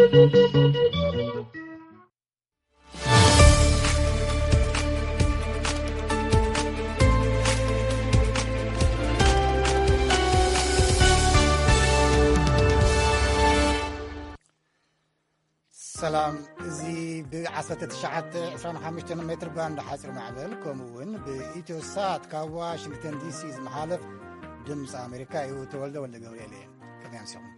ሰላም። እዚ ብ19፣ 25 ሜትር ባንድ ሓፂር ማዕበል፣ ከምኡ እውን ብኢትዮ ሳት ካብ ዋሽንግተን ዲሲ ዝመሓለፍ ድምፂ ኣሜሪካ እዩ። ተወልደ ወልደ ገብርኤል እየ። ከመይ ኣምሲኹም?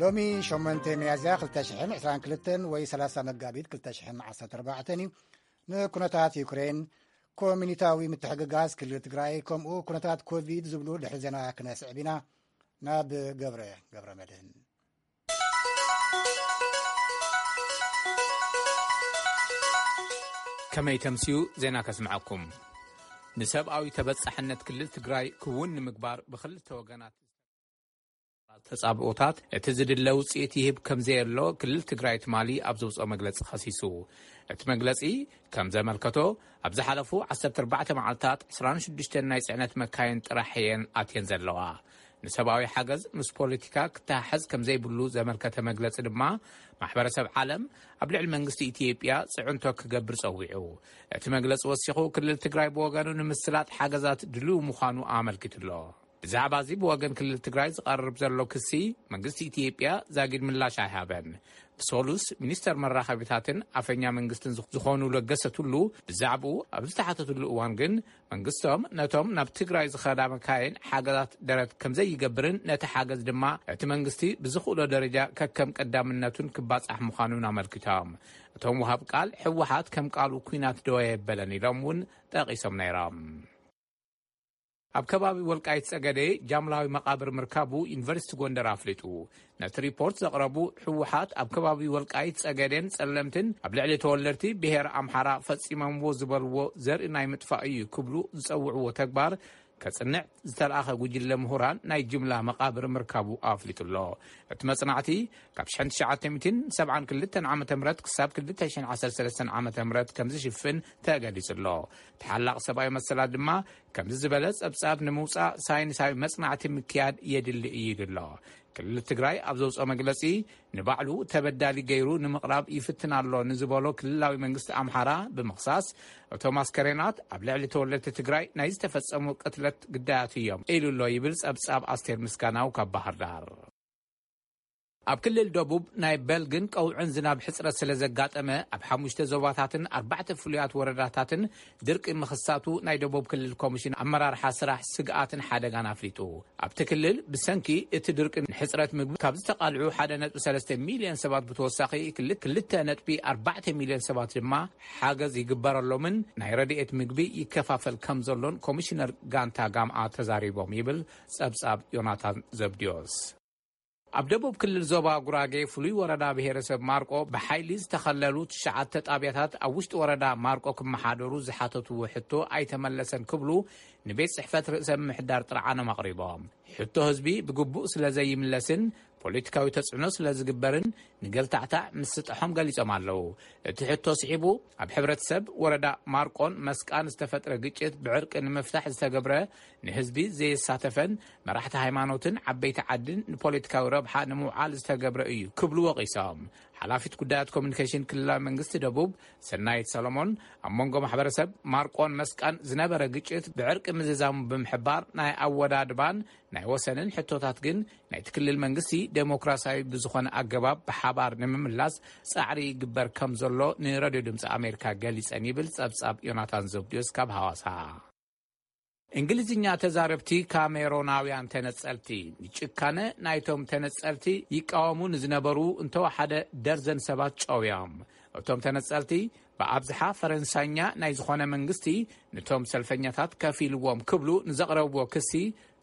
ሎሚ ሸሞንተ ሚያዝያ ክልተ ሽሕን ዕስራን ክልተን ወይ ሠላሳ መጋቢት ክልተ ሽሕን ዓሰርተ ኣርባዕተን እዩ። ንኩነታት ዩክሬን፣ ኮሚኒታዊ ምትሕግጋዝ ክልል ትግራይ፣ ከምኡ ኩነታት ኮቪድ ዝብሉ ድሕሪ ዜና ክነስዕብ ኢና። ናብ ገብረ፣ ገብረ መድህን። ከመይ ተምስዩ ዜና ከስምዐኩም። ንሰብኣዊ ተበጻሕነት ክልል ትግራይ ክውን ንምግባር ብክልተ ወገናት ተጻብኦታት እቲ ዝድለ ውጽኢት ይህብ ከም ዘየሎ ክልል ትግራይ ትማሊ ኣብ ዘውጽኦ መግለጺ ከሲሱ። እቲ መግለጺ ከም ዘመልከቶ፣ ኣብ ዝሓለፉ ዓሰርተ ኣርባዕተ መዓልታት ዕስራን ሽዱሽተን ናይ ጽዕነት መካይን ጥራሕ እየን ኣትየን ዘለዋ። ንሰብኣዊ ሓገዝ ምስ ፖለቲካ ክተሓሓዝ ከም ዘይብሉ ዘመልከተ መግለጺ ድማ፣ ማሕበረሰብ ዓለም ኣብ ልዕሊ መንግስቲ ኢትዮጵያ ጽዕንቶ ክገብር ጸዊዑ። እቲ መግለጺ ወሲኹ፣ ክልል ትግራይ ብወገኑ ንምስላጥ ሓገዛት ድልው ምዃኑ ኣመልኪቱ ኣሎ። ብዛዕባ እዚ ብወገን ክልል ትግራይ ዝቐርብ ዘሎ ክሲ መንግስቲ ኢትዮጵያ ዛጊድ ምላሽ ኣይሃበን። ብሰሉስ ሚኒስተር መራኸቢታትን ኣፈኛ መንግስትን ዝኽ-፣ ዝኾኑ ለገሰ ቱሉ ብዛዕባኡ ኣብ ዝተሓተትሉ እዋን ግን መንግስቶም ነቶም ናብ ትግራይ ዝኸዳ መካይን ሓገዛት ደረት ከም ዘይገብርን ነቲ ሓገዝ ድማ እቲ መንግስቲ ብዝኽእሎ ደረጃ ከከም ቀዳምነቱን ክባጻሕ ምዃኑን ኣመልኪቶም። እቶም ወሃብ ቃል ህወሓት ከም ቃሉ ኲናት ደው ኣየበለን ኢሎም እውን ጠቒሶም ነይሮም። ኣብ ከባቢ ወልቃይት ጸገዴ ጃምላዊ መቓብር ምርካቡ ዩኒቨርሲቲ ጎንደር ኣፍሊጡ። ነቲ ሪፖርት ዘቕረቡ ህወሓት ኣብ ከባቢ ወልቃይት ጸገዴን ጸለምትን ኣብ ልዕሊ ተወለድቲ ብሄር ኣምሓራ ፈጺሞምዎ ዝበልዎ ዘርኢ ናይ ምጥፋእ እዩ ክብሉ ዝጸውዕዎ ተግባር ከጽንዕ ዝተለኣኸ ጉጅለ ምሁራን ናይ ጅምላ መቓብር ምርካቡ ኣፍሊጡ ኣሎ። እቲ መጽናዕቲ ካብ ሽሕን ትሽዓተ ሚእትን ሰብዓን ክልተን ዓመተ ምህረት ክሳብ ክልተ ሽሕን ዓሰርተ ሰለስተን ዓመተ ምህረት ከም ዝሽፍን ተገሊጹ ኣሎ። ተሓላቕ ሰብኣዊ መሰላት ድማ ከምዚ ዝበለ ጸብጻብ ንምውጻእ ሳይንሳዊ መጽናዕቲ ምክያድ የድሊ እዩ ኢሉ ኣሎ። ክልል ትግራይ ኣብ ዘውጽኦ መግለጺ፣ ንባዕሉ ተበዳሊ ገይሩ ንምቕራብ ይፍትን ኣሎ ንዝበሎ ክልላዊ መንግስቲ ኣምሓራ ብምኽሳስ፣ እቶም ኣስከሬናት ኣብ ልዕሊ ተወለድቲ ትግራይ ናይ ዝተፈጸሙ ቅትለት ግዳያት እዮም ኢሉ ኣሎ ይብል ጸብጻብ ኣስቴር ምስጋናው ካብ ባህር ዳር። ኣብ ክልል ደቡብ ናይ በልግን ቀውዕን ዝናብ ሕጽረት ስለ ዘጋጠመ፣ ኣብ ሓሙሽተ ዞባታትን ኣርባዕተ ፍሉያት ወረዳታትን ድርቂ ምኽሳቱ ናይ ደቡብ ክልል ኮሚሽን ኣመራርሓ ስራሕ ስግኣትን ሓደጋን ኣፍሊጡ። ኣብቲ ክልል ብሰንኪ እቲ ድርቂ ንሕጽረት ምግቢ ካብ ዝተቓልዑ ሓደ ነጥቢ ሰለስተ ሚልዮን ሰባት ብተወሳኺ ክል-፣ ክልተ ነጥቢ ኣርባዕተ ሚልዮን ሰባት ድማ ሓገዝ ይግበረሎምን ናይ ረድኤት ምግቢ ይከፋፈል ከም ዘሎን ኮሚሽነር ጋንታ ጋምኣ ተዛሪቦም ይብል ጸብጻብ ዮናታን ዘብድዮስ። ኣብ ደቡብ ክልል ዞባ ጉራጌ ፍሉይ ወረዳ ብሄረሰብ ማርቆ ብሓይሊ ዝተኸለሉ ትሽዓተ ጣብያታት ኣብ ውሽጢ ወረዳ ማርቆ ክመሓደሩ ዝሓተትዎ ሕቶ ኣይተመለሰን ክብሉ ንቤት ጽሕፈት ርእሰ ምምሕዳር ጥርዓኖም ኣቕሪቦም። ሕቶ ህዝቢ ብግቡእ ስለ ዘይምለስን ፖለቲካዊ ተጽዕኖ ስለ ዝግበርን ንገልታዕታዕ ምስጣሖም ገሊጾም ኣለዉ። እቲ ሕቶ ስዒቡ ኣብ ሕብረተሰብ ወረዳ ማርቆን መስቃን ዝተፈጥረ ግጭት ብዕርቂ ንምፍታሕ ዝተገብረ ንህዝቢ ዘየሳተፈን መራሕቲ ሃይማኖትን ዓበይቲ ዓድን ንፖለቲካዊ ረብሓ ንምውዓል ዝተገብረ እዩ ክብሉ ወቒሶም። ሓላፊት ጉዳያት ኮሚኒኬሽን ክልላዊ መንግስቲ ደቡብ ሰናይት ሰሎሞን ኣብ መንጎ ማሕበረሰብ ማርቆን መስቃን ዝነበረ ግጭት ብዕርቂ ምዝዛሙ ብምሕባር ናይ ኣወዳድባን ናይ ወሰንን ሕቶታት ግን ናይቲ ክልል መንግስቲ ዴሞክራሲያዊ ብዝኾነ ኣገባብ ብሓባር ንምምላስ ጻዕሪ ይግበር ከም ዘሎ ንረድዮ ድምፂ ኣሜሪካ ገሊጸን ይብል ጸብጻብ ዮናታን ዘብድዮስ ካብ ሃዋሳ። እንግሊዝኛ ተዛረብቲ ካሜሮናውያን ተነጸልቲ ንጭካነ ናይቶም ተነጸልቲ ይቃወሙ ንዝነበሩ እንተወሓደ ደርዘን ሰባት ጨውዮም። እቶም ተነጸልቲ ብኣብዝሓ ፈረንሳኛ ናይ ዝኾነ መንግስቲ ንቶም ሰልፈኛታት ከፊልዎም ክብሉ ንዘቕረብዎ ክሲ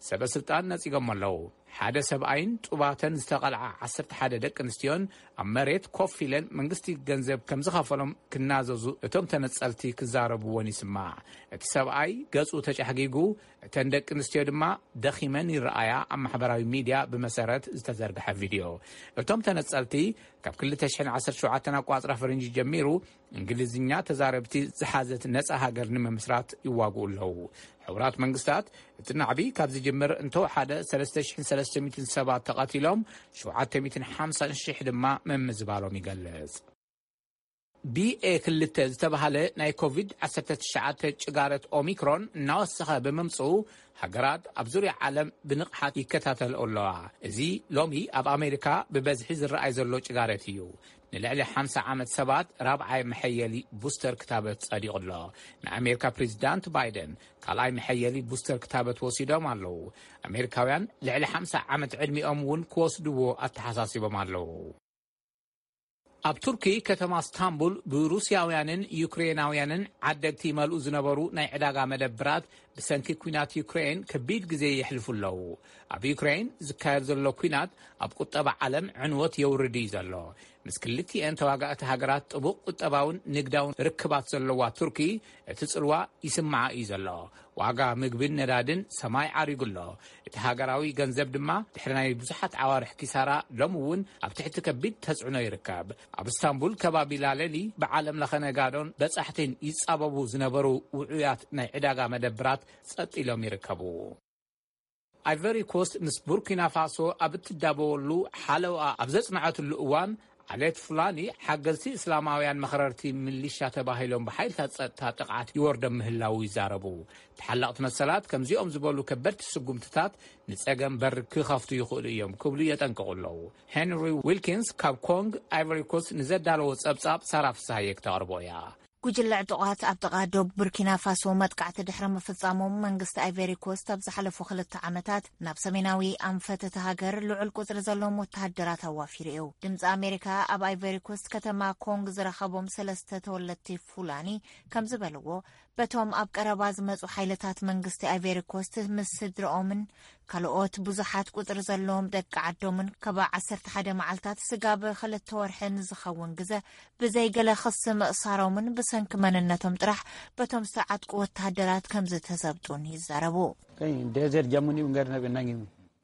ሰበ ስልጣን ነጺጎም ኣለዉ። ሓደ ሰብኣይን ጡባተን ዝተቐልዓ ዓሰርተ ሓደ ደቂ ኣንስትዮን ኣብ መሬት ኮፍ ኢለን መንግስቲ ገንዘብ ከም ዝኸፈሎም ክናዘዙ እቶም ተነጸልቲ ክዛረብዎን ይስማዕ። እቲ ሰብኣይ ገጹ ተጫሕጊጉ፣ እተን ደቂ ኣንስትዮ ድማ ደኺመን ይረኣያ፣ ኣብ ማሕበራዊ ሚድያ ብመሰረት ዝተዘርግሐ ቪድዮ። እቶም ተነጸልቲ ካብ ክልተ ሽሕን ዓሰርተ ሸውዓተን ኣቋጽራ ፈረንጂ ጀሚሩ እንግሊዝኛ ተዛረብቲ ዝሓዘት ነጻ ሃገር ንምምስራት ይዋግኡ ኣለዉ። ሕቡራት መንግስታት፣ እቲ ናዕቢ ካብ ዝጅምር እንተወሓደ ሰለስተ ሽሕን ሰለስተ ሚእትን ሰባት ተቐቲሎም፣ ሸውዓተ ሚእትን ሓምሳን ሽሕ ድማ ምምዝባሎም ይገልጽ። ቢ ኤ ክልተ ዝተባህለ ናይ ኮቪድ ዓሰርተ ትሽዓተ ጭጋረት ኦሚክሮን እናወሰኸ ብምምጽኡ፣ ሃገራት ኣብ ዙርያ ዓለም ብንቕሓት ይከታተልኦ ኣለዋ። እዚ ሎሚ ኣብ ኣሜሪካ ብበዝሒ ዝረኣይ ዘሎ ጭጋረት እዩ። ንልዕሊ ሓምሳ ዓመት ሰባት ራብዓይ መሐየሊ ቡስተር ክታበት ጸዲቑ ኣሎ። ንኣሜሪካ ፕሬዚዳንት ባይደን ካልኣይ መሐየሊ ቡስተር ክታበት ወሲዶም ኣለዉ። ኣሜሪካውያን ልዕሊ ሓምሳ ዓመት ዕድሚኦም እውን ክወስድዎ ኣተሓሳሲቦም ኣለዉ። ኣብ ቱርኪ ከተማ ስታንቡል ብሩስያውያንን ዩክሬናውያንን ዓደግቲ ይመልኡ ዝነበሩ ናይ ዕዳጋ መደብራት ብሰንኪ ኲናት ዩክሬን ከቢድ ግዜ የሕልፉ ኣለዉ። ኣብ ዩክሬን ዝካየድ ዘሎ ኲናት ኣብ ቁጠባ ዓለም ዕንወት የውርድ እዩ ዘሎ። ምስ ክልቲኤን ተዋጋእቲ ሃገራት ጥቡቕ ቁጠባውን ንግዳውን ርክባት ዘለዋ ቱርኪ፣ እቲ ጽልዋ ይስምዓ እዩ ዘሎ። ዋጋ ምግብን ነዳድን ሰማይ ዓሪጉ ኣሎ። እቲ ሃገራዊ ገንዘብ ድማ ድሕሪ ናይ ብዙሓት ዓዋርሕ ኪሳራ ሎሚ እውን ኣብ ትሕቲ ከቢድ ተጽዕኖ ይርከብ። ኣብ እስታንቡል ከባቢ ላለሊ ብዓለም ለኸ ነጋዶን በጻሕትን ይጻበቡ ዝነበሩ ውዑያት ናይ ዕዳጋ መደብራት ጸጥ ኢሎም ይርከቡ። ኣይቨሪ ኮስት ምስ ቡርኪና ፋሶ ኣብ እትዳበወሉ ሓለዋ ኣብ ዘጽንዐትሉ እዋን፣ ዓሌት ፉላኒ ሓገዝቲ እስላማውያን መኽረርቲ ሚሊሻ ተባሂሎም ብሓይልታት ጸጥታ ጥቕዓት ይወርዶም ምህላዉ ይዛረቡ። ተሓለቕቲ መሰላት ከምዚኦም ዝበሉ ከበድቲ ስጉምትታት ንጸገም በር ክኸፍቱ ይኽእሉ እዮም ክብሉ የጠንቅቑ ኣለዉ። ሄንሪ ዊልኪንስ ካብ ኮንግ ኣይቨሪ ኮስት ንዘዳለዎ ጸብጻብ ሳራ ፍስሃየ ክተቕርቦ እያ። ጉጅለ ዕጡቓት ኣብ ጥቓ ዶብ ቡርኪና ፋሶ መጥቃዕቲ ድሕሪ ምፍጻሞም፣ መንግስቲ ኣይቨሪ ኮስት ኣብ ዝሓለፉ ክልተ ዓመታት ናብ ሰሜናዊ ኣንፈት እታ ሃገር ልዑል ቁጽሪ ዘለዎም ወተሃደራት ኣዋፊሩ እዩ። ድምጺ ኣሜሪካ ኣብ ኣይቨሪ ኮስት ከተማ ኮንግ ዝረኸቦም ሰለስተ ተወለድቲ ፉላኒ ከም ዝበልዎ፣ በቶም ኣብ ቀረባ ዝመጹ ሓይልታት መንግስቲ ኣይቨሪ ኮስት ምስ ስድርኦምን ካልኦት ብዙሓት ቁጽሪ ዘለዎም ደቂ ዓዶምን ካብ ዓሰርተ ሓደ መዓልታት ስጋብ ክልተ ወርሒ ንዝኸውን ግዘ ብዘይ ገለ ክሲ ምእሳሮምን ብሰንኪ መንነቶም ጥራሕ በቶም ዝተዓጥቁ ወተሃደራት ከም ዝተዘብጡን ይዛረቡ። Kay desert jamuni ungar na benangi.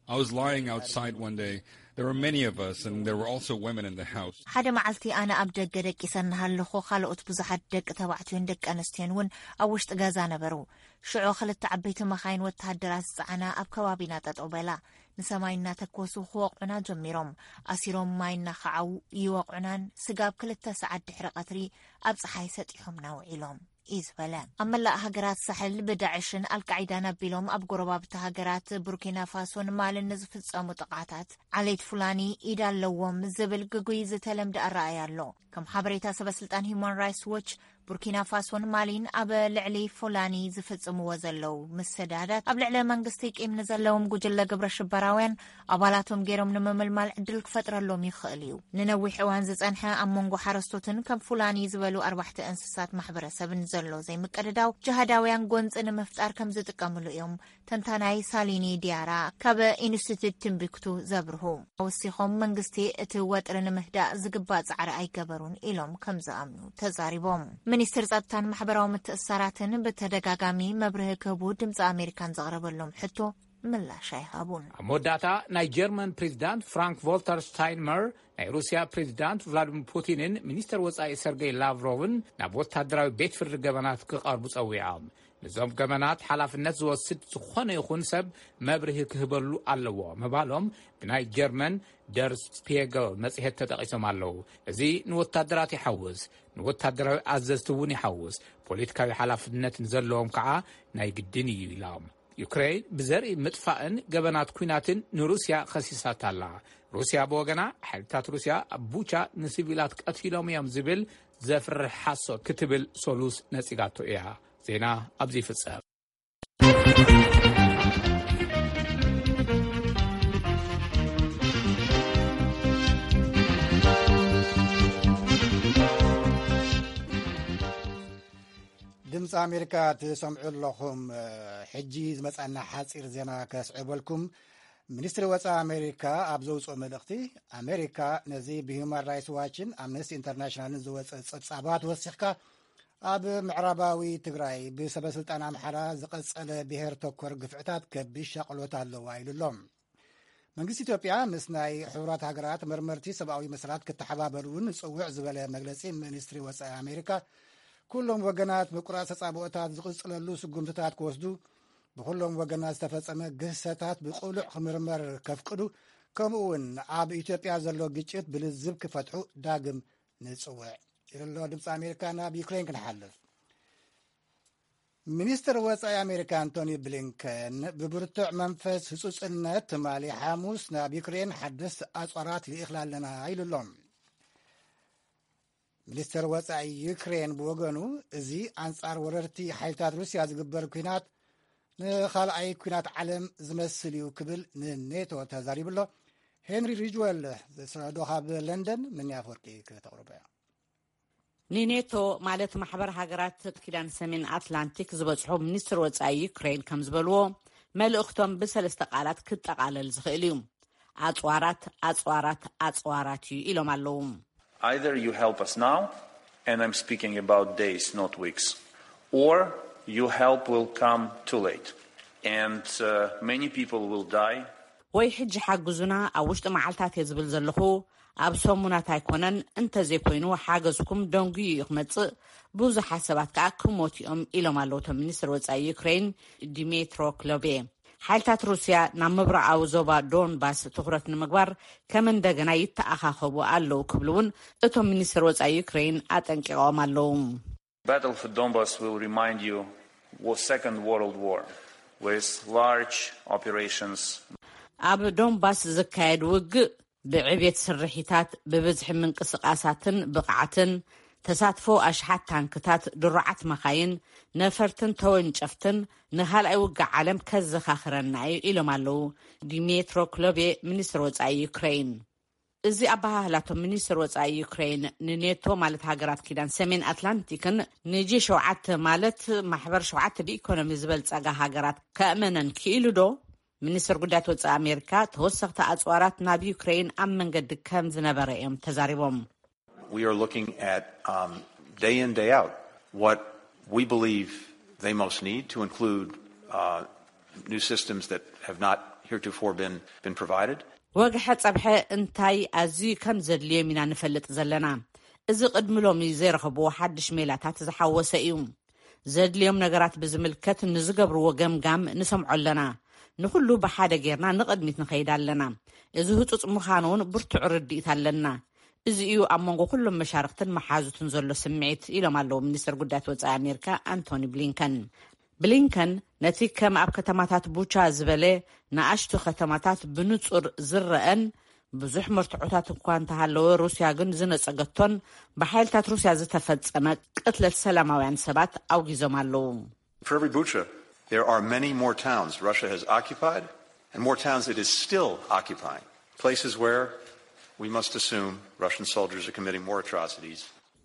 I was lying outside one day. There were many of us, and there were also women in the house. ሓደ መዓልቲ ኣነ ኣብ ደገ ደቂሰ እናሃለኹ፣ ካልኦት ብዙሓት ደቂ ተባዕትዮን ደቂ ኣንስትዮን እውን ኣብ ውሽጢ ገዛ ነበሩ። ሽዑ ክልተ ዓበይቲ መኻይን ወተሃደራት ዝጸዓና ኣብ ከባቢና ጠጠው በላ። ንሰማይ እናተኮሱ ክወቕዑና ጀሚሮም። ኣሲሮም ማይ እናኸዓው ይወቕዑናን፣ ስጋብ ክልተ ሰዓት ድሕሪ ቀትሪ ኣብ ጸሓይ ሰጢሖምና ውዒሎም እዩ ዝበለ። ኣብ መላእ ሃገራት ሳሕል ብዳዕሽን ኣልቃዒዳን ኣቢሎም ኣብ ጎረባብቲ ሃገራት ቡርኪና ፋሶን ማልን ንዝፍጸሙ ጥቓታት፣ ዓሌት ፉላኒ ኢድ ኣለዎም ዝብል ግጉይ ዝተለምደ ኣረኣእያ ኣሎ። ከም ሓበሬታ ሰበ ስልጣን ሂዩማን ራይትስ ዎች፣ ቡርኪና ፋሶን ማሊን ኣብ ልዕሊ ፉላኒ ዝፍጽምዎ ዘለዉ ምሰዳዳት፣ ኣብ ልዕሊ መንግስቲ ቂም ንዘለዎም ጉጅለ ግብረ ሽበራውያን ኣባላቶም ገይሮም ንምምልማል ዕድል ክፈጥረሎም ይኽእል እዩ። ንነዊሕ እዋን ዝጸንሐ ኣብ መንጎ ሓረስቶትን ከም ፉላኒ ዝበሉ ኣርባሕቲ እንስሳት ማሕበረሰብን ዘሎ ዘይምቅድዳው፣ ጅሃዳውያን ጎንጺ ንምፍጣር ከም ዝጥቀምሉ እዮም ተንታናይ ሳሊኒ ዲያራ ካብ ኢንስቲትዩት ቲምቢክቱ ዘብርሁ። ወሲኾም፣ መንግስቲ እቲ ወጥሪ ንምህዳእ ዝግባእ ጻዕሪ ኣይገበሩን ኢሎም ከም ዝኣምኑ ተዛሪቦም። ሚኒስትር ጸጥታን ማሕበራዊ ምትእስሳራትን ብተደጋጋሚ መብርሂ ክህቡ ድምፂ ኣሜሪካን ዘቕረበሎም ሕቶ ምላሽ ኣይሃቡን። ኣብ መወዳእታ፣ ናይ ጀርመን ፕሬዚዳንት ፍራንክ ቮልተር ስታይንመር ናይ ሩስያ ፕሬዚዳንት ቭላዲሚር ፑቲንን ሚኒስተር ወጻኢ ሰርጌይ ላቭሮቭን ናብ ወታደራዊ ቤት ፍርዲ ገበናት ክቐርቡ ጸዊዖም። ነዞም ገበናት ሓላፍነት ዝወስድ ዝኾነ ይኹን ሰብ መብርሂ ክህበሉ ኣለዎ ምባሎም ብናይ ጀርመን ደር ስፒየገል መጽሔት ተጠቒሶም ኣለዉ። እዚ ንወታደራት ይሓውስ፣ ንወታደራዊ ኣዘዝቲ እውን ይሓውስ። ፖለቲካዊ ሓላፍነት ንዘለዎም ከዓ ናይ ግድን እዩ ኢሎም። ዩክሬን ብዘርኢ ምጥፋእን ገበናት ኲናትን ንሩስያ ከሲሳታ ኣላ። ሩስያ ብወገና፣ ሓይልታት ሩስያ ኣብ ቡቻ ንሲቪላት ቀቲሎም እዮም ዝብል ዘፍርሕ ሓሶት ክትብል ሰሉስ ነጺጋቶ እያ። ዜና ኣብዚ ይፍጸም። ድምፂ ኣሜሪካ ትሰምዑ ኣለኹም። ሕጂ ዝመፃና ሓፂር ዜና ከስዕበልኩም። ሚኒስትሪ ወፃኢ ኣሜሪካ ኣብ ዘውፅኦ መልእኽቲ፣ ኣሜሪካ ነዚ ብሂውማን ራይትስ ዋችን ኣምነስቲ ኢንተርናሽናልን ዝወፀ ፀብፃባት ወሲኽካ፣ ኣብ ምዕራባዊ ትግራይ ብሰበስልጣን ኣምሓራ ዝቐፀለ ብሄር ተኮር ግፍዕታት ከቢድ ሻቕሎት ኣለዋ ኢሉ ኣሎ። መንግስቲ ኢትዮጵያ ምስ ናይ ሕቡራት ሃገራት መርመርቲ ሰብኣዊ መሰላት ክተሓባበሩ እውን ጽውዕ ዝበለ መግለጺ ሚኒስትሪ ወጻኢ ኣሜሪካ፣ ኩሎም ወገናት ምቁራጽ ተጻብኦታት ዝቕጽለሉ ስጉምትታት ክወስዱ ብኹሎም ወገናት ዝተፈጸመ ግህሰታት ብቕሉዕ ክምርመር ከፍቅዱ፣ ከምኡ እውን ኣብ ኢትዮጵያ ዘሎ ግጭት ብልዝብ ክፈትሑ ዳግም ንጽውዕ ኢሉ ኣሎ ድምፂ ኣሜሪካ። ናብ ዩክሬን ክንሓልፍ። ሚኒስትር ወፃኢ ኣሜሪካ ኣንቶኒ ብሊንከን ብብርቱዕ መንፈስ ህፁፅነት ትማሊ ሓሙስ ናብ ዩክሬን ሓደስቲ ኣፅዋራት ልኢኽላ ኣለና ኢሉ ኣሎ። ሚኒስትር ወፃኢ ዩክሬን ብወገኑ፣ እዚ ኣንፃር ወረርቲ ሓይልታት ሩስያ ዝግበር ኲናት ንኻልኣይ ኲናት ዓለም ዝመስል እዩ ክብል ንኔቶ ተዛሪቡ ኣሎ። ሄንሪ ሪጅወል ዝሰዶ ካብ ለንደን፣ ምንያ ኣፈወርቂ ከተቕርቦ እያ። ንኔቶ ማለት ማሕበር ሃገራት ኪዳን ሰሜን ኣትላንቲክ ዝበጽሑ ሚኒስትር ወጻኢ ዩክሬን ከም ዝበልዎ፣ መልእኽቶም ብሰለስተ ቃላት ክጠቓለል ዝኽእል እዩ። ኣጽዋራት፣ ኣጽዋራት፣ ኣጽዋራት እዩ ኢሎም ኣለዉ። Either you help us now, and I'm speaking about days, not weeks, or your help will come too late, and uh, many people will die. ወይ ሕጂ ሓግዙና፣ ኣብ ውሽጢ መዓልታት እየ ዝብል ዘለኹ፣ ኣብ ሰሙናት ኣይኮነን፣ እንተዘይኮይኑ ሓገዝኩም ደንጉዩ እዩ ክመጽእ፣ ብዙሓት ሰባት ከኣ ክሞቱ እዮም ኢሎም ኣለዉ እቶም ሚኒስትር ወጻኢ ዩክሬን ዲሜትሮ ክሎቤ። ሓይልታት ሩስያ ናብ ምብራቓዊ ዞባ ዶንባስ ትኹረት ንምግባር ከም እንደገና ይተኣኻኸቡ ኣለዉ ክብሉ እውን እቶም ሚኒስትር ወጻኢ ዩክሬን ኣጠንቂቖም ኣለዉ። Battle for Donbass will remind you was Second World War with large operations. ኣብ ዶንባስ ዝካየድ ውግእ ብዕቤት ስርሒታት፣ ብብዝሒ ምንቅስቓሳትን ብቕዓትን፣ ተሳትፎ ኣሽሓት ታንክታት፣ ድሩዓት መኻይን፣ ነፈርትን ተወንጨፍትን ንኻልኣይ ውግእ ዓለም ከዘኻኽረና እዩ ኢሎም ኣለዉ ዲሜትሮ ክሎቤ፣ ሚኒስትር ወጻኢ ዩክሬን። እዚ ኣበሃህላቶም ሚኒስትር ወጻኢ ዩክሬን ንኔቶ ማለት ሃገራት ኪዳን ሰሜን ኣትላንቲክን ንጂ ሸውዓተ ማለት ማሕበር ሸውዓተ ብኢኮኖሚ ዝበልጸጋ ሃገራት ከእመነን ክኢሉ ዶ? ሚኒስትር ጉዳያት ወጻኢ ኣሜሪካ ተወሰኽቲ ኣጽዋራት ናብ ዩክሬን ኣብ መንገዲ ከም ዝነበረ እዮም ተዛሪቦም። We are looking at um, day in, day out, what we believe they most need to include uh, new systems that have not heretofore been, been provided. ወግሐ ጸብሐ እንታይ ኣዝዩ ከም ዘድልዮም ኢና ንፈልጥ ዘለና። እዚ ቅድሚ ሎሚ ዘይረኸብዎ ሓድሽ ሜላታት ዝሓወሰ እዩ። ዘድልዮም ነገራት ብዝምልከት ንዝገብርዎ ገምጋም ንሰምዖ ኣለና። ንኹሉ ብሓደ ጌርና ንቕድሚት ንኸይድ ኣለና። እዚ ህጹጽ ምዃኑ እውን ብርቱዕ ርድኢት ኣለና። እዚ እዩ ኣብ መንጎ ኩሎም መሻርክትን መሓዙትን ዘሎ ስምዒት ኢሎም ኣለዉ ሚኒስትር ጉዳያት ወጻኢ ኣሜሪካ ኣንቶኒ ብሊንከን። ብሊንከን ነቲ ከም ኣብ ከተማታት ቡቻ ዝበለ ንኣሽቱ ከተማታት ብንጹር ዝረአን ብዙሕ መርትዖታት እኳ እንተሃለወ ሩስያ ግን ዝነጸገቶን ብሓይልታት ሩስያ ዝተፈጸመ ቅትለት ሰላማውያን ሰባት ኣውጊዞም ኣለዉ። For every Bucha, there are many more towns Russia has occupied and more towns it is still occupying. Places where we must assume Russian soldiers are committing more atrocities.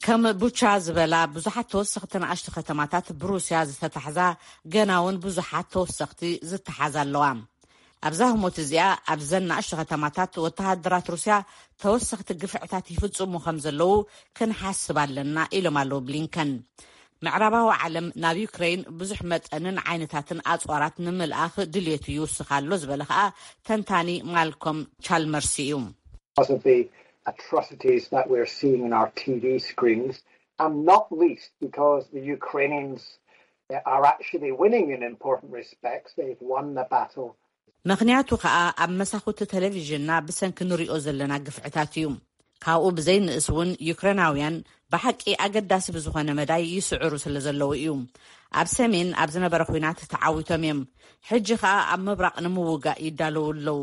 ከም ቡቻ ዝበላ ብዙሓት ተወሰኽቲ ንኣሽቱ ከተማታት ብሩስያ ዝተታሕዛ፣ ገና እውን ብዙሓት ተወሰኽቲ ዝተሓዛ ኣለዋ። ኣብዛ ህሞት እዚኣ ኣብዘን ንኣሽቱ ከተማታት ወተሃደራት ሩስያ ተወሰኽቲ ግፍዕታት ይፍጽሙ ከም ዘለዉ ክንሓስብ ኣለና ኢሎም ኣለዉ ብሊንከን። ምዕራባዊ ዓለም ናብ ዩክሬን ብዙሕ መጠንን ዓይነታትን ኣጽዋራት ንምልኣኽ ድልየቱ ይውስኽ ኣሎ ዝበለ ከኣ ተንታኒ ማልኮም ቻልመርስ እዩ። Because of the atrocities that we're seeing on our T V screens, and not least because the Ukrainians are actually winning in important respects. They've won the battle. ምኽንያቱ ከኣ ኣብ መሳኹቲ ቴሌቪዥንና ብሰንኪ ንሪኦ ዘለና ግፍዕታት እዩ። ካብኡ ብዘይንእስ እውን ዩክሬናውያን ብሓቂ ኣገዳሲ ብዝኾነ መዳይ ይስዕሩ ስለ ዘለዉ እዩ። ኣብ ሰሜን ኣብ ዝነበረ ኲናት ተዓዊቶም እዮም። ሕጂ ከኣ ኣብ ምብራቕ ንምውጋእ ይዳለዉ ኣለዉ።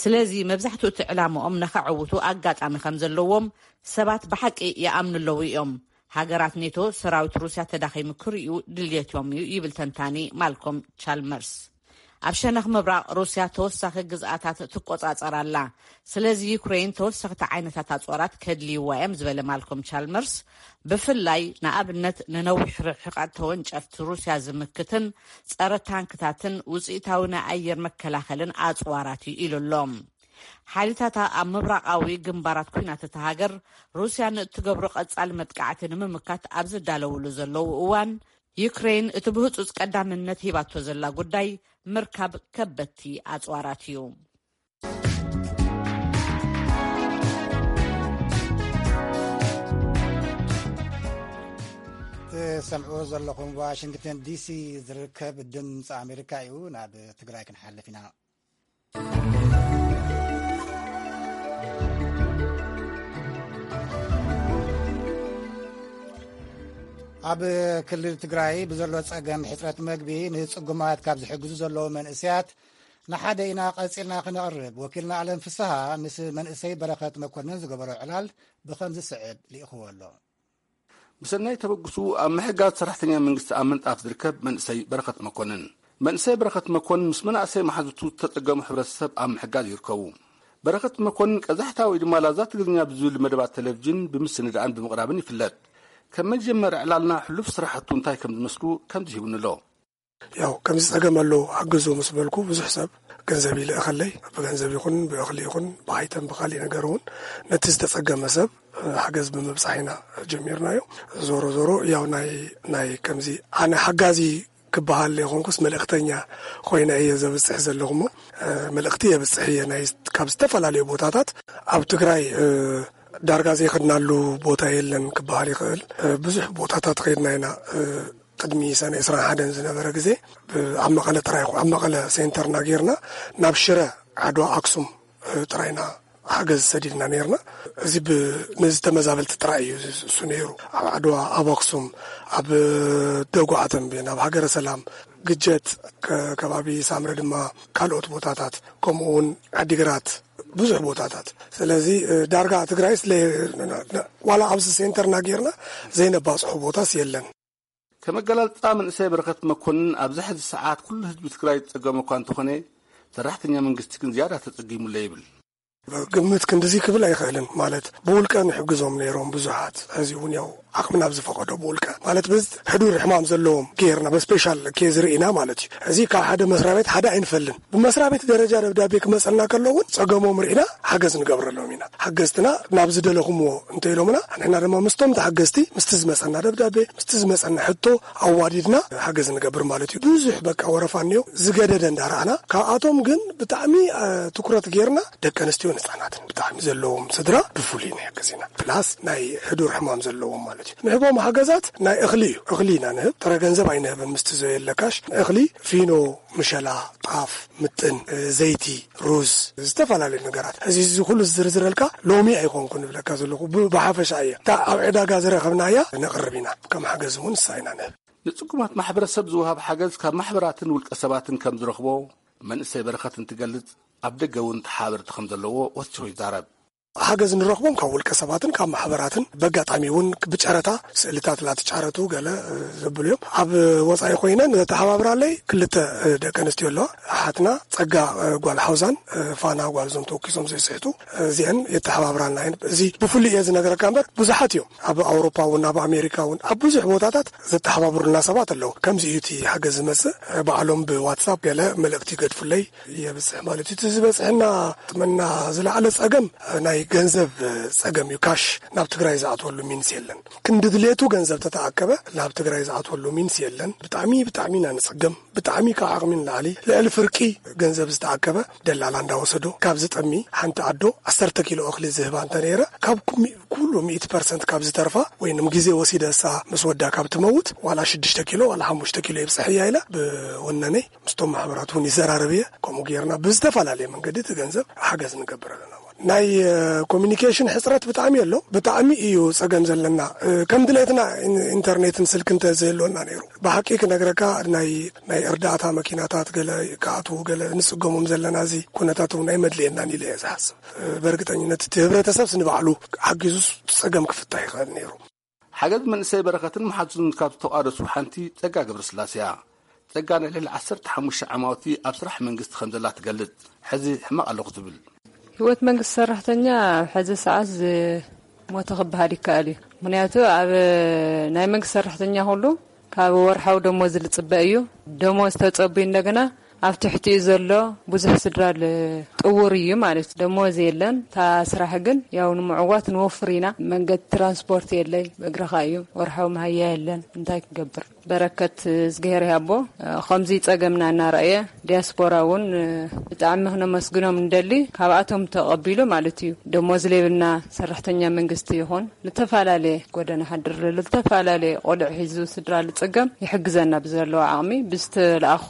ስለዚ መብዛሕትኡ እቲ ዕላምኦም ነኸዕውቱ ኣጋጣሚ ከም ዘለዎም ሰባት ብሓቂ ይኣምኑ ኣለዉ እዮም። ሃገራት ኔቶ ሰራዊት ሩስያ ተዳኺሙ ክርእዩ ድልየቶም እዩ ይብል ተንታኒ ማልኮም ቻልመርስ። ኣብ ሸነኽ ምብራቕ ሩስያ ተወሳኺ ግዝኣታት ትቆጻጸር ኣላ። ስለዚ ዩክሬን ተወሰኽቲ ዓይነታት ኣጽዋራት ከድልይዋ እዮም ዝበለ ማልኮም ቻልመርስ፣ ብፍላይ ንኣብነት ንነዊሕ ርሕቐት ተወንጨፍቲ ሩስያ ዝምክትን ጸረ ታንክታትን ውጽኢታዊ ናይ ኣየር መከላኸልን ኣጽዋራት እዩ ኢሉ ኣሎ። ሓይልታታ ኣብ ምብራቓዊ ግንባራት ኲናት እታ ሃገር ሩስያ ንእትገብሮ ቀጻሊ መጥቃዕቲ ንምምካት ኣብ ዝዳለውሉ ዘለዉ እዋን፣ ዩክሬን እቲ ብህጹጽ ቀዳምነት ሂባቶ ዘላ ጉዳይ ምርካብ ከበድቲ ኣጽዋራት እዩ። ትሰምዕዎ ዘለኹም ዋሽንግተን ዲሲ ዝርከብ ድምፂ ኣሜሪካ እዩ። ናብ ትግራይ ክንሓልፍ ኢና። ኣብ ክልል ትግራይ ብዘሎ ጸገም ሕጽረት መግቢ ንጽጉማት ካብ ዝሕግዙ ዘለዉ መንእሰያት ንሓደ ኢና ቀጺልና ክነቕርብ። ወኪልና ኣለም ፍስሃ ምስ መንእሰይ በረኸት መኮንን ዝገበሮ ዕላል ብኸም ዝስዕብ ልኢኽዎ ኣሎ። ብሰናይ ተበግሱ ኣብ ምሕጋዝ ሰራሕተኛ መንግስቲ ኣብ ምንጣፍ ዝርከብ መንእሰይ በረኸት መኮንን። መንእሰይ በረኸት መኮንን ምስ መናእሰይ መሓዙቱ ዝተጸገሙ ሕብረተሰብ ኣብ ምሕጋዝ ይርከቡ። በረኸት መኮንን ቀዛሕታ ወይ ድማ ላዛ ትግርኛ ብዝብል መደባት ቴሌቪዥን ብምስንዳእን ብምቕራብን ይፍለጥ። ከም መጀመሪ ዕላልና ሕሉፍ ስራሕቱ እንታይ ከም ዝመስሉ ከምዚ ሂቡኒ ኣሎ። ያው ከምዚ ጸገም ኣሎ፣ ሓግዙ ምስ በልኩ ብዙሕ ሰብ ገንዘብ ይልእኸለይ። ብገንዘብ ይኹን ብእኽሊ ይኹን ብኣይተም ብኻሊእ ነገር እውን ነቲ ዝተጸገመ ሰብ ሓገዝ ብምብጻሕ ኢና ጀሚርናዮ። ዞሮ ዞሮ ያው ናይ ናይ ከምዚ ኣነ ሓጋዚ ክበሃል ዘይኮንኩስ መልእኽተኛ ኮይነ እየ ዘብጽሕ ዘለኹ እሞ፣ እ፣ መልእኽቲ የብጽሕ እየ። ናይ ካብ ዝተፈላለዩ ቦታታት ኣብ ትግራይ፣ እ፣ ዳርጋ ዘይኸድናሉ ቦታ የለን ክበሃል ይኽእል። እ፣ ብዙሕ ቦታታት ኸድና ኢና። እ፣ ቅድሚ ሰነ ዕስራን ሓደን ዝነበረ ግዜ ብ-፣ ኣብ መቐለ ጥራይ ይኹ-፣ ኣብ መቐለ ሴንተርና ጌርና ናብ ሽረ፣ ዓድዋ፣ ኣክሱም፣ እ፣ ጥራይና ሓገዝ ሰዲድና ኔርና። እዚ ብ-፣ ነዚ ተመዛበልቲ ጥራይ እዩ እሱ ነይሩ። ኣብ ዓድዋ፣ ኣብ ኣክሱም፣ ኣብ ደጉዓ ተንቤን፣ ኣብ ሃገረ ሰላም፣ ግጀት፣ ከ-፣ ከባቢ ሳምረ ድማ ካልኦት ቦታታት፣ ከምኡ እውን ዓዲግራት፣ ብዙሕ ቦታታት። ስለዚ፣ እ፣ ዳርጋ ትግራይስ ለ-፣ ነ-፣ ነ-፣ ዋላ ኣብዚ ሴንተርና ጌርና ዘይነባጽሖ ቦታስ የለን። ከም ኣገላልጻ መንእሰይ በረኸት መኮንን፣ ኣብዚ ሕዚ ሰዓት ኩሉ ህዝቢ ትግራይ ዝጸገመ እኳ እንተኾነ፣ ሰራሕተኛ መንግስቲ ግን ዝያዳ ተጸጊሙለ ይብል። ግምት ክንድዚ ክብል ኣይኽእልን። ማለት፣ ብውልቀ ንሕግዞም ነይሮም ብዙሓት። ሕዚ እውን ያው ዓቕምና ኣብ ዝፈቐዶ ብውልቀ። ማለት፣ በዚ ሕዱር ሕማም ዘለዎም ጌርና፣ ብስፔሻል ኬዝ ርኢና ማለት እዩ። እዚ ካብ ሓደ መስሪያ ቤት ሓደ ኣይንፈልን። ብመስሪያ ቤት ደረጃ ደብዳቤ ክመጸና ከሎ እውን ጸገሞም ርኢና ሓገዝ ንገብረሎም ኢና። ሓገዝትና ናብ ዝደለኹምዎ እንተ ኢሎምና፣ ንሕና ድማ ምስቶም ተሓገዝቲ፣ ምስቲ ዝመጸና ደብዳቤ፣ ምስቲ ዝመጸና ሕቶ ኣዋዲድና ሓገዝ ንገብር ማለት እዩ። ብዙሕ በቃ ወረፋ እኒኦ፣ ዝገደደ እንዳረኣና፣ ካብኣቶም ግን ብጣዕሚ፣ እ፣ ትኩረት ጌርና ደቂ ኣንስትዮን ህጻናትን ብጣዕሚ ዘለዎም ስድራ ብፍሉይ ንሕግዝ ኢና። ፕላስ ናይ ሕዱር ሕማም ዘለዎም ማለት እዩ። ንህቦም ሓገዛት ናይ እኽሊ እዩ። እኽሊ ኢና ንህብ፣ ጥረ ገንዘብ ኣይንህብን። ምስቲ ዘየለ ካሽ እኽሊ፣ ፊኖ፣ ምሸላ፣ ጣፍ፣ ምጥን፣ እ፣ ዘይቲ፣ ሩዝ፣ ዝተፈላለዩ ነገራት። እዚ፣ እዚ ኩሉ ዝዝርዝረልካ ሎሚ ኣይኮንኩ ንብለካ ዘለኹ፣ ብ-፣ ብሓፈሻ እየ። እታ ኣብ ዕዳጋ ዝረኸብናያ ነቕርብ ኢና። ከም ሓገዝ እውን ንሳ ኢና ንህብ። ንጽጉማት ማሕበረሰብ ዝወሃብ ሓገዝ ካብ ማሕበራትን ውልቀ ሰባትን ከም ዝረኽቦ መንእሰይ በረኸት እንትገልጽ፣ ኣብ ደገ እውን ተሓበርቲ ከም ዘለዎ ወሲኹ ይዛረብ። ሓገዝ ንረኽቦም ካብ ውልቀ ሰባትን ካብ ማሕበራትን፣ በጋጣሚ እውን ብጨረታ ስእልታት ላትጫረቱ ገለ፣ እ፣ ዘብሉ እዮም። ኣብ ወጻኢ ኮይነን ዘተሓባብራለይ ክልተ፣ እ፣ ደቂ ኣንስትዮ ኣለዋ። ሓትና ጸጋ፣ እ፣ ጓል ሓውዛን፣ እ፣ ፋና ጓል እዞም ተወኪሶም ዘይስሕቱ፣ እ፣ እዚአን የተሓባብራና እየን። እዚ ብፍሉይ እየ ዝነግረካ እምበር ብዙሓት እዮም። ኣብ ኣውሮፓ እውን ኣብ ኣሜሪካ እውን ኣብ ብዙሕ ቦታታት ዘተሓባብሩና ሰባት ኣለዉ። ከምዚ እዩ እቲ ሓገዝ ዝመጽእ። እ፣ ባዕሎም ብዋትሳፕ ገለ መልእክቲ ይገድፉለይ። የብጽሕ ማለት እዩ። እቲ ዝበጽሐና ጥመና ዝለዓለ ጸገም ናይ ገንዘብ ጸገም እዩ። ካሽ ናብ ትግራይ ዝኣትወሉ ሚንስ የለን። ክንዲ ድሌቱ ገንዘብ ተተኣከበ ናብ ትግራይ ዝኣትወሉ ሚንስ የለን። ብጣዕሚ፣ ብጣዕሚ ኢና ንጽገም። ብጣዕሚ ካብ ዓቕሚ ንላዕሊ ልዕሊ ፍርቂ ገንዘብ ዝተኣከበ ደላላ እንዳወሰዶ ካብ ዝጠሚ ሓንቲ ኣዶ ዓሰርተ ኪሎ እኽሊ ዝህባ እንተነይረ ካብ ኩሚ-፣ ኩሉ ሚእቲ ፐርሰንት ካብ ዝተርፋ ወይንም ግዜ ወሲደ እሳ ምስ ወዳ ካብ ትመውት ዋላ ሽዱሽተ ኪሎ ዋላ ሓሙሽተ ኪሎ ይብጽሕ እያ ኢለ ብወነነይ ምስቶም ማሕበራት እውን ይዘራረብ እየ። ከምኡ ጌርና ብዝተፈላለየ መንገዲ እቲ ገንዘብ ሓገዝ ንገብር ኣለና። ናይ፣ እ፣ ኮሚኒኬሽን ሕፅረት ብጣዕሚ ኣሎ። ብጣዕሚ እዩ ፀገም ዘለና። እ፣ ከም ድሌትና ኢን-፣ ኢንተርኔትን ስልክ እንተ ዘየሎና ነይሩ፣ ብሓቂ ክነግረካ ናይ፣ ናይ እርዳእታ መኪናታት ገለ ክኣትዉ ገለ ንፅገሞም ዘለና እዚ ኩነታት እውን ኣይመድልየናን ኢለ እየ ዝሓስብ። እ፣ በእርግጠኝነት እቲ ህብረተሰብስ ንባዕሉ ሓጊዙስ ፀገም ክፍታሕ ይኽእል ነይሩ። ሓገዝ መንእሰይ በረኸትን መሓዙትን ካብ ዝተቋደሱ ሓንቲ ጸጋ ገብረስላሴ እያ። ጸጋ ናይ ልዕሊ ዓሰርተ ሓሙሽተ ዓማውቲ ኣብ ስራሕ መንግስቲ ከም ዘላ ትገልጽ። ሕዚ ሕማቕ ኣለኹ ትብል። ህይወት መንግስቲ ሰራሕተኛ ኣብ ሕዚ ሰዓት ዝሞተ ክበሃል ይከኣል እዩ። ምኽንያቱ ኣብ ናይ መንግስቲ ሰራሕተኛ ኩሉ ካብ ወርሓዊ ደሞዝ ዝጽበ እዩ። ደሞዝ ተጸብዩ እንደገና ኣብ ትሕቲኡ ዘሎ ብዙሕ ስድራ ል-፣ ጥውር እዩ ማለት እዩ። ደሞዝ የለን። እታ ስራሕ ግን ያው ንምዕዋት ንወፍር ኢና። መንገዲ ትራንስፖርት የለይ፣ ብእግርኻ እዩ። ወርሓዊ መሃያ የለን። እንታይ ክገብር? በረከት እዝግሄር ያቦ ከምዚ ጸገምና እናረኣየ፣ ዲያስፖራ እውን ብጣዕሚ ክነመስግኖም እንደሊ። ካብኣቶም ተቐቢሉ ማለት እዩ። ደሞዝ ሌብልና ሰራሕተኛ መንግስቲ ይኹን፣ ልተፈላለየ ጎደና ሓድር ልተፈላለየ ቆልዕ ሒዙ ስድራ ልጽገም ይሕግዘና ብዘለዎ ዓቕሚ ብዝተለኣኾ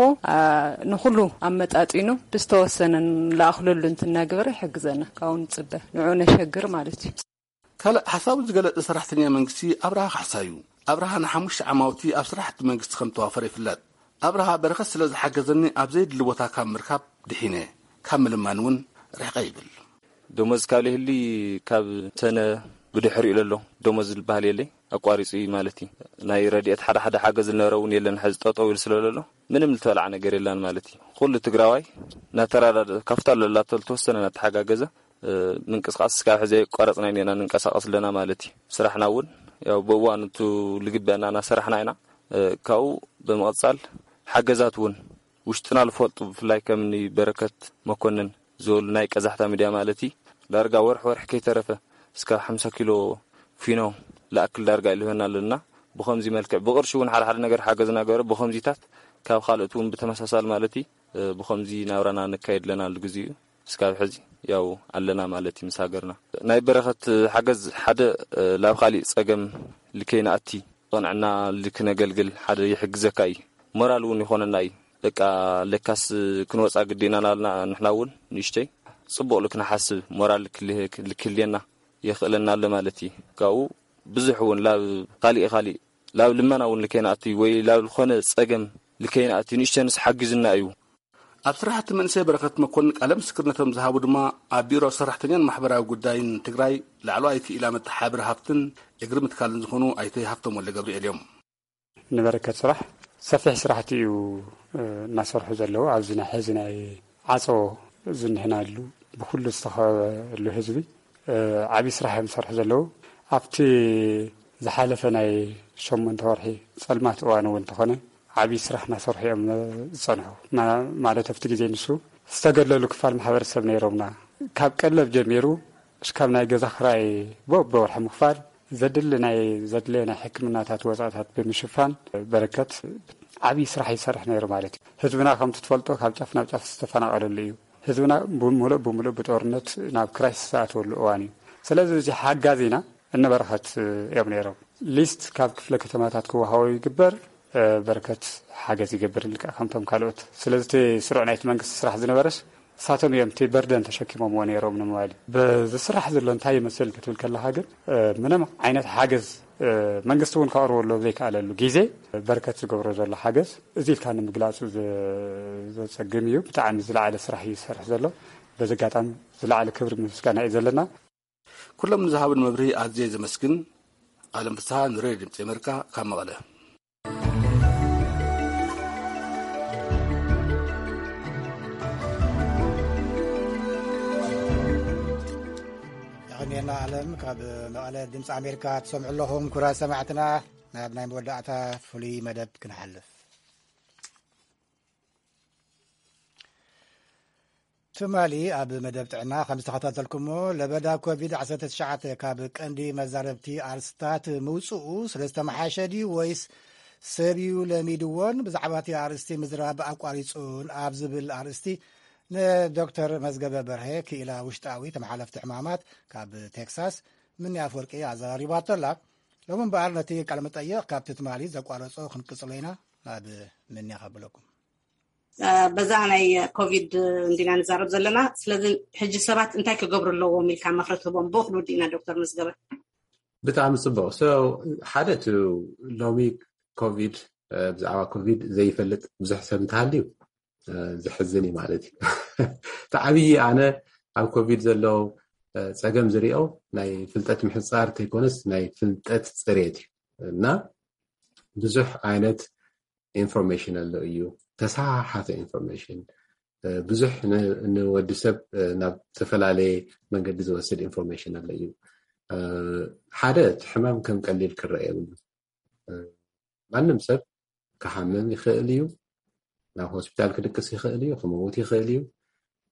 ንኹሉ ኣመጣጢኑ ብዝተወሰነ ንለኣኽለሉ እንትናግበረ ይሕግዘና። ካብኡ ንጽበ ንዑ ነሸግር ማለት እዩ። ካልእ ሓሳቡ ዝገለጸ ሰራሕተኛ መንግስቲ ኣብርሃ ካሕሳ እዩ። ኣብርሃ ንሓሙሽተ ዓማውቲ ኣብ ስራሕቲ መንግስቲ ከም ተዋፈረ ይፍለጥ። ኣብርሃ በረኸት ስለ ዝሓገዘኒ ኣብ ዘይድሊ ቦታ ካብ ምርካብ ድሒነ፣ ካብ ምልማን እውን ርሕቀ ይብል። ደሞዝ ካብ ዘይህሊ ካብ ሰነ ብድሕሪኡ ለሎ ደሞዝ ዝበሃል የለይ፣ ኣቋሪጹ እዩ ማለት እዩ። ናይ ረድኤት ሓደ ሓደ ሓገዝ ዝነበረ እውን የለን፣ ሕዚ ጠጠው ኢሉ ስለ ለሎ ምንም ዝተበልዓ ነገር የላን ማለት እዩ። ኩሉ ትግራዋይ እናተራዳደ ካብታ ለላቶ ዝተወሰነ እናተሓጋገዘ ምንቅስቃስ እስካብ ሕዚ የቋረፅና ኢና ንንቀሳቀስ ኣለና ማለት እዩ። ስራሕና እውን ያው ብእዋኑ እቲ ልግበአና እናሰራሕና ኢና። ካብኡ ብምቕፃል ሓገዛት እውን ውሽጥና ዝፈልጡ ብፍላይ ከምኒ በረከት መኮንን ዝበሉ ናይ ቀዛሕታ ሚድያ ማለት እዩ ዳርጋ ወርሒ ወርሒ ከይተረፈ እስካብ ሓምሳ ኪሎ ፊኖ ለኣክል ዳርጋ ኢልበና ኣለና። ብኸምዚ መልክዕ ብቕርሺ እውን ሓደ ሓደ ነገር ሓገዝና ገይሩ ብኸምዚታት ካብ ካልኦት እውን ብተመሳሳሊ ማለት እዩ ብኸምዚ ናብራና ነካይድ ኣለና። ልግዜኡ እስካብ ሕዚ ያው ኣለና ማለት እዩ ምስ ሃገርና። ናይ በረኸት ሓገዝ ሓደ ላብ ካሊእ ጸገም ልከይንኣቲ ቅንዕና ልክነገልግል ሓደ ይሕግዘካ እዩ። ሞራል እውን ይኾነና እዩ። በቃ ለካስ ክንወፃ ግዴና ናልና ንሕና እውን ንእሽተይ ፅቡቕ ልክንሓስብ ሞራል ልክልየና የኽእለና ኣሎ ማለት እዩ። ካብኡ ብዙሕ እውን ላብ ካሊእ ካሊእ ላብ ልመና እውን ልከይንኣቲ ወይ ላብ ዝኾነ ጸገም ልከይንኣቲ ንእሽተንስ ሓጊዙና እዩ። ኣብ ስራሕቲ መንእሰይ በረከት መኮንን ቃለ ምስክርነቶም ዝሃቡ ድማ ኣብ ቢሮ ሰራሕተኛን ማሕበራዊ ጉዳይን ትግራይ ላዕለዋይ ክኢላ መተሓባበሪ ሃፍትን እግሪ ምትካልን ዝኾኑ ኣይተ ሃፍቶም ወልደ ገብርኤል እዮም። ንበረከት ስራሕ ሰፊሕ ስራሕቲ እዩ እናሰርሑ ዘለዉ። ኣብዚ ናይ ሕዚ ናይ ዓፀቦ ዝንህናሉ ብኩሉ ዝተኸበሉ ህዝቢ ዓብዪ ስራሕ እዮም ዝሰርሑ ዘለዉ። ኣብቲ ዝሓለፈ ናይ ሸሞንተ ወርሒ ፀልማት እዋን እውን እንተኾነ ዓብዪ ስራሕ እናሰርሑ እዮም ዝፀንሑ። ማለት ኣብቲ ግዜ ንሱ ዝተገለሉ ክፋል ማሕበረሰብ ነይሮምና። ካብ ቀለብ ጀሚሩ እስካብ ናይ ገዛ ክራይ በበወርሒ ምኽፋል ዘድሊ ናይ ዘድለየ ናይ ሕክምናታት ወፃእታት ብምሽፋን በረከት ዓብዪ ስራሕ ይሰርሕ ነይሩ ማለት እዩ። ህዝብና ከምቲ ትፈልጦ ካብ ጫፍ ናብ ጫፍ ዝተፈናቐለሉ እዩ። ህዝብና ብምሉእ ብምሉእ ብጦርነት ናብ ክራይስ ዝኣተወሉ እዋን እዩ። ስለዚ እዚ ሓጋዚና እነበረኸት እዮም ነይሮም። ሊስት ካብ ክፍለ ከተማታት ክወሃቦ ይግበር። በረከት ሓገዝ ይገብር ልክዕ ከምቶም ካልኦት። ስለዚ እቲ ስሩዕ ናይቲ መንግስቲ ስራሕ ዝነበረስ እሳቶም እዮም እቲ በርደን ተሸኪሞምዎ ነይሮም ንምባል እዩ። በዚ ስራሕ ዘሎ እንታይ ይመስል ክትብል ከለካ ግን ምንም ዓይነት ሓገዝ መንግስቲ እውን ከቕርበሉ ኣብ ዘይከኣለሉ ግዜ በረከት ዝገብሮ ዘሎ ሓገዝ እዚ ኢልካ ንምግላፁ ዘፀግም እዩ። ብጣዕሚ ዝለዓለ ስራሕ እዩ ዝሰርሕ ዘሎ። በዚ ኣጋጣሚ ዝለዓለ ክብሪ ምስጋና እዩ ዘለና። ኩሎም ንዝሃቡን መብርሂ ኣዝየ ዘመስግን። ኣለም ፍስሃ ንሬድዮ ድምፂ ኣሜሪካ ካብ መቐለ። የቐንየልና ኣለም ካብ መቐለ ድምፂ ኣሜሪካ ትሰምዑ ኣለኹም። ኩራ ሰማዕትና ናብ ናይ መወዳእታ ፍሉይ መደብ ክንሓልፍ። ትማሊ ኣብ መደብ ጥዕና ከም ዝተኸታተልኩሞ ለበዳ ኮቪድ ዓሰርተ ትሽዓተ ካብ ቀንዲ መዛረብቲ ኣርስታት ምውፅኡ ስለ ዝተመሓሸ ድዩ ወይስ ሰብ እዩ ለሚድዎን ብዛዕባ እቲ ኣርእስቲ ምዝራብ ኣቋሪፁን ኣብ ዝብል ኣርእስቲ ንዶክተር መዝገበ በርሀ ክኢላ ውሽጣዊ ተመሓለፍቲ ሕማማት ካብ ቴክሳስ ምኒ ኣፍወርቂ ኣዘራሪባቶ ኣላ። ሎሚ እምበኣር ነቲ ቃለ መጠይቕ ካብቲ ትማሊ ዘቋረጾ ክንቅጽሎ ኢና። ናብ ምኒ ከብለኩም። በዛ ናይ ኮቪድ እንዲና ንዛረብ ዘለና። ስለዚ ሕጂ ሰባት እንታይ ክገብሩ ኣለዎም ኢልካ ምኽሪ ትህቦም? ብኡ ክንውድእ ኢና ዶክተር መዝገበ። ብጣዕሚ ጽቡቕ። So ሓደ እቲ ሎሚ ኮቪድ ብዛዕባ ኮቪድ ዘይፈልጥ ብዙሕ ሰብ እንተሃልዩ ዘሕዝን እዩ ማለት እዩ። እቲ ዓብዪ ኣነ ኣብ ኮቪድ ዘሎ ጸገም ዝሪኦ ናይ ፍልጠት ምሕጻር ተይኮነስ ናይ ፍልጠት ጽሬት እዩ እና ብዙሕ ዓይነት ኢንፎርሜሽን ኣሎ እዩ። ተሰሓሓተ ኢንፎርሜሽን ብዙሕ ንወዲ ሰብ ናብ ዝተፈላለየ መንገዲ ዝወስድ ኢንፎርሜሽን ኣሎ እዩ። ሓደ እቲ ሕማም ከም ቀሊል ክረአ የብሉ። ማንም ሰብ ክሓምም ይኽእል እዩ። ናብ ሆስፒታል ክድቅስ ይኽእል እዩ። ክመውት ይኽእል እዩ።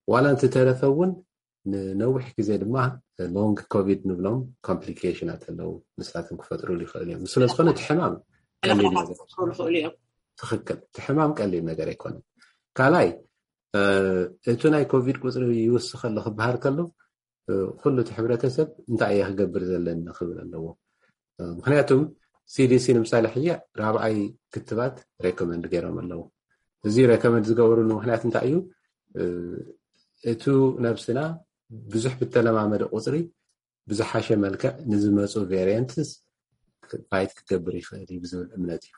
ዋላ እንተተረፈ እውን ንነዊሕ ግዜ ድማ ሎንግ ኮቪድ ንብሎም ኮምፕሊኬሽናት ኣለዉ። ንሳቶም ክፈጥሩሉ ይኽእል እዮም። ስለዝኾነ እቲ ሕማም ቀሊል ነገር። ትኽክል። እቲ ሕማም ቀሊል ነገር ኣይኮነን። ካልኣይ እቲ ናይ ኮቪድ ቁፅሪ ይውስኸ ኣሎ ክበሃል ከሎ ኩሉ እቲ ሕብረተሰብ እንታይ እየ ክገብር ዘለኒ ክብል ኣለዎ። ምክንያቱም ሲዲሲ ንምሳሌ ሕጂ ራብዓይ ክትባት ሬኮመንድ ገይሮም ኣለዉ። እዚ ሬኮመንድ ዝገበሩሉ ምክንያት እንታይ እዩ? እቱ ነብስና ብዙሕ ብተለማመደ ቁፅሪ ብዝሓሸ መልክዕ ንዝመፁ ቬሪየንትስ ፋይት ክገብር ይኽእል እዩ ብዝብል እምነት እዩ።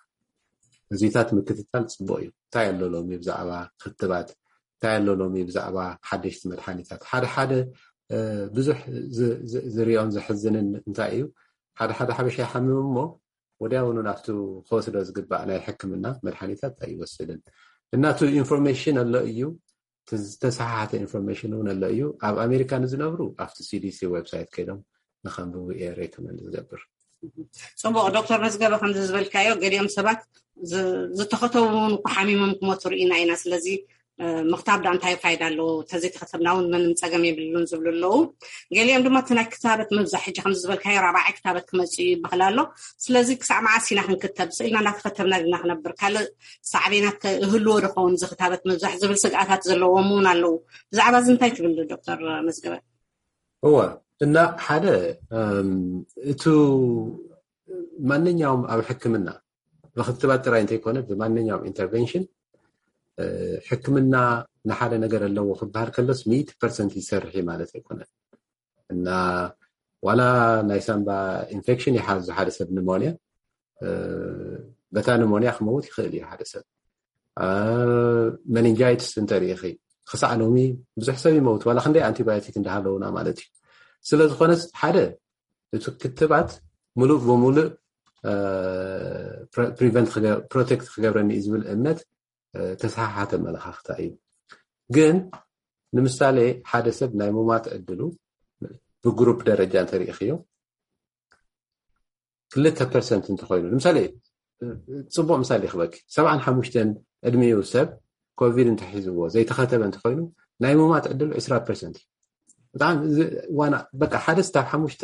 እዚታት ምክትታል ፅቡቅ እዩ። እንታይ ኣሎ ሎሚ ብዛዕባ ክትባት? እንታይ ኣሎ ሎሚ ብዛዕባ ሓደሽቲ መድሓኒታት? ሓደ ሓደ ብዙሕ ዝርኦን ዘሕዝንን እንታይ እዩ? ሓደ ሓደ ሓበሻ ይሓምም እሞ ወዲያውኑ ናብቱ ክወስዶ ዝግባእ ናይ ሕክምና መድሓኒታት ኣይወስድን። እናቱ ኢንፎርሜሽን ኣሎ እዩ፣ ዝተሰሓሓተ ኢንፎርሜሽን እውን ኣሎ እዩ። ኣብ ኣሜሪካ ንዝነብሩ ኣብቲ ሲዲሲ ዌብሳይት ከይዶም ንኸንብቡ እየ ሬኮመንድ ዝገብር። ፅቡቅ ዶክተር መዝገበ፣ ከምዚ ዝበልካዮ ገሊኦም ሰባት ዝተኸተቡ እውን እኮ ሓሚሞም ክሞቱ ርኢና ኢና። ስለዚ ምክታብ ዳ እንታይ ፋይዳ ኣለዎ? ተዘይተኸተብና እውን ምንም ፀገም የብሉን ዝብሉ ኣለዉ። ገሊኦም ድማ እቲ ናይ ክታበት ምብዛሕ፣ ሕጂ ከምዚ ዝበልካዮ ራብዓይ ክታበት ክመፅእ እዩ ይበሃል ኣሎ። ስለዚ ክሳዕ መዓስ ኢና ክንክተብ? ስኢልና እንዳተኸተብና ድና ክነብር? ካልእ ሳዕቤናት ይህልዎ ዶ ኸውን እዚ ክታበት ምብዛሕ ዝብል ስግኣታት ዘለዎም እውን ኣለዉ። ብዛዕባ እዚ እንታይ ትብል ዶክተር መዝገበ? እወ፣ እና ሓደ እቱ ማንኛውም ኣብ ሕክምና ብክትባት ጥራይ እንተይኮነ ብማንኛውም ኢንተርቨንሽን ሕክምና ንሓደ ነገር ኣለዎ ክበሃል ከሎስ ሚእቲ ፐርሰንት ይሰርሕ ማለት ኣይኮነን። እና ዋላ ናይ ሳምባ ኢንፌክሽን ይሓዙ ሓደ ሰብ ኒሞንያ፣ በታ ኒሞንያ ክመውት ይኽእል እዩ ሓደ ሰብ። መኒንጃይትስ እንተሪኢኺ ክሳዕ ሎሚ ብዙሕ ሰብ ይመውት ዋላ ክንደይ ኣንቲባዮቲክ እንዳሃለውና ማለት እዩ። ስለዝኾነስ ሓደ እቲ ክትባት ሙሉእ ብሙሉእ ፕሪቨንት ፕሮቴክት ክገብረኒ እዩ ዝብል እምነት ተሰሓሓተ መለኻኽታ እዩ። ግን ንምሳሌ ሓደ ሰብ ናይ ሙማት ዕድሉ ብግሩፕ ደረጃ እንተሪኢኽዮ ክልተ ፐርሰንት እንተኮይኑ፣ ንምሳሌ ፅቡቅ ምሳሌ ክበኪ ሰብዓን ሓሙሽተን ዕድሚኡ ሰብ ኮቪድ እንተሒዝዎ ዘይተኸተበ እንተኮይኑ ናይ ሙማት ዕድሉ ዕስራ ፐርሰንት እዩ። ብጣዕሚ ዋና በቃ ሓደ ስታብ ሓሙሽተ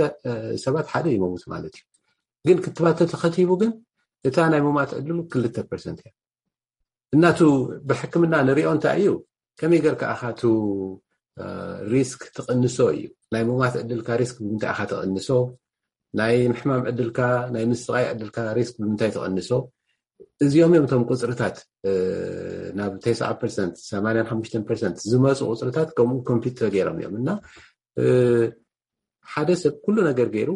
ሰባት ሓደ ይመውት ማለት እዩ። ግን ክትባት ተተኸቲቡ ግን እታ ናይ ሙማት ዕድሉ ክልተ ፐርሰንት እያ። እናቱ ብሕክምና ንሪኦ እንታይ እዩ ከመይ ገርካ ኣኻቱ ሪስክ ትቕንሶ እዩ። ናይ ሙማት ዕድልካ ሪስክ ብምንታይ ኣኻ ትቕንሶ? ናይ ምሕማም ዕድልካ ናይ ምስቃይ ዕድልካ ሪስክ ብምንታይ ትቕንሶ? እዚኦም እዮም እቶም ቁፅርታት ናብ ተስዓ ፐርሰንት ሰማንያን ሓሙሽተን ፐርሰንት ዝመፁ ቁፅርታት ከምኡ ኮምፒት ተገይሮም እዮም። እና ሓደ ሰብ ኩሉ ነገር ገይሩ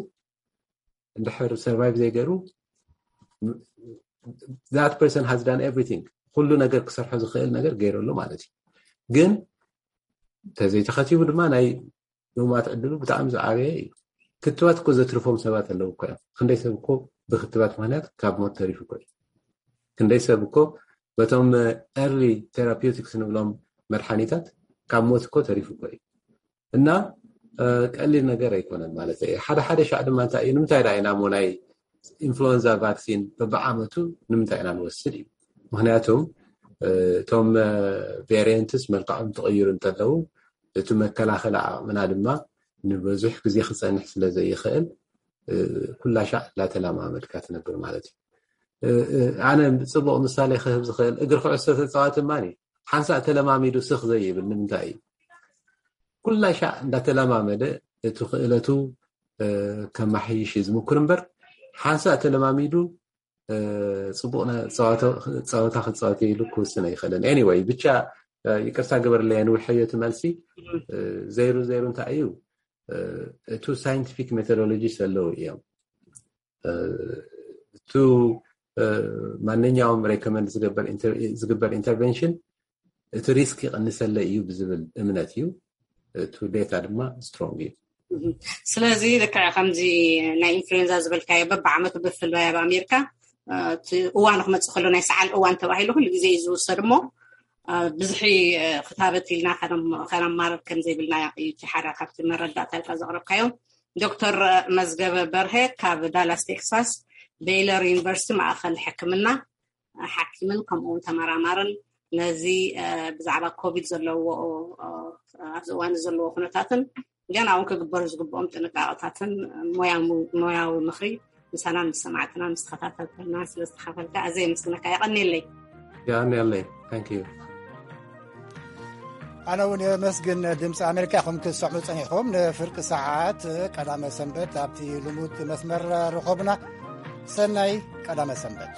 እንድሕር ሰርቫይቭ ዘይገይሩ that person has done everything ኩሉ ነገር ክሰርሖ ዝኽእል ነገር ገይረሉ ማለት እዩ። ግን ተዘይተኸቲቡ ድማ ናይ ምማት ዕድሉ ብጣዕሚ ዝዓበየ እዩ። ክትባት እኮ ዘትርፎም ሰባት ኣለዉ እኮ እዮም። ክንደይ ሰብ እኮ ብክትባት ምክንያት ካብ ሞት ተሪፉ እኮ እዩ። ክንደይ ሰብ እኮ በቶም ኤርሊ ቴራፒውቲክስ ንብሎም መድሓኒታት ካብ ሞት እኮ ተሪፉ እኮ እዩ። እና ቀሊል ነገር ኣይኮነን ማለት እዩ። ሓደ ሓደ ሻዕ ድማ እንታይ እዩ ንምንታይ ዳ ኢና ሞ ናይ ኢንፍሉዌንዛ ቫክሲን በብዓመቱ ንምንታይ ኢና ንወስድ እዩ። ምክንያቱም እቶም ቬሪየንትስ መልክዖም ትቕይሩ እንተለዉ እቲ መከላኸሊ ዓቕምና ድማ ንብዙሕ ግዜ ክፀንሕ ስለ ዘይኽእል ኩላ ሻዕ እንዳተለማመድካ ትነብር ማለት እዩ። ኣነ ፅቡቕ ምሳሌ ክህብ ዝኽእል እግሪ ኩዕሶ ተፃዋቲ ማን ሓንሳእ ተለማሚዱ ስኽ ዘይብል ንምንታይ እዩ? ኩላ ሻዕ እንዳተለማመደ እቲ ክእለቱ ከማሕይሽ እዩ ዝምኩር እምበር ሓንሳእ ተለማሚዱ ፅቡቕ ፀወታ ክፃወት ኢሉ ክውስን ኣይኽእልን። ኤኒወይ ብቻ ይቅርታ ግበርለይ ንውሕዮ እቲ መልሲ። ዘይሩ ዘይሩ እንታይ እዩ እቱ ሳይንቲፊክ ሜቶዶሎጂ ዘለዉ እዮም። እቱ ማንኛውም ሬኮመንድ ዝግበር ኢንተርቬንሽን እቲ ሪስክ ይቕንሰለ እዩ ብዝብል እምነት እዩ። እቱ ዴታ ድማ ስትሮንግ እዩ። ስለዚ ልክዕ ከምዚ ናይ ኢንፍሉዌንዛ ዝበልካዮ በብዓመቱ ብፍላይ ኣብ ኣሜሪካ እዋኑ ክመፅእ ከሎ ናይ ሰዓል እዋን ተባሂሉ ኩሉ ግዜ እዩ ዝውሰድ እሞ ብዙሒ ክታበት ኢልና ከነማርር ከም ዘይብልና እዩ እቲ ሓደ ካብቲ መረዳእታ ኢልካ ዘቕረብካዮ። ዶክተር መዝገበ በርሀ ካብ ዳላስ ቴክሳስ ቤይለር ዩኒቨርሲቲ ማእኸል ሕክምና ሓኪምን ከምኡውን ተመራማርን ነዚ ብዛዕባ ኮቪድ ዘለዎ ኣብዚ እዋን ዘለዎ ኩነታትን ገና እውን ክግበሩ ዝግብኦም ጥንቃቐታትን ሞያዊ ምኽሪ ምሳና ምስ ሰማዕትና ምስ ተኸታተልተና ስለ ዝተኻፈልካ ኣዘ የመስግነካ። የቐኒለይ። ያኔለይ ታንክ ዩ። ኣነ እውን የመስግን። ድምፂ ኣሜሪካ ኢኹም ክትሰምዑ ፀኒሕኩም። ንፍርቂ ሰዓት ቀዳመ ሰንበት ኣብቲ ልሙድ መስመር ርኸቡና። ሰናይ ቀዳመ ሰንበት።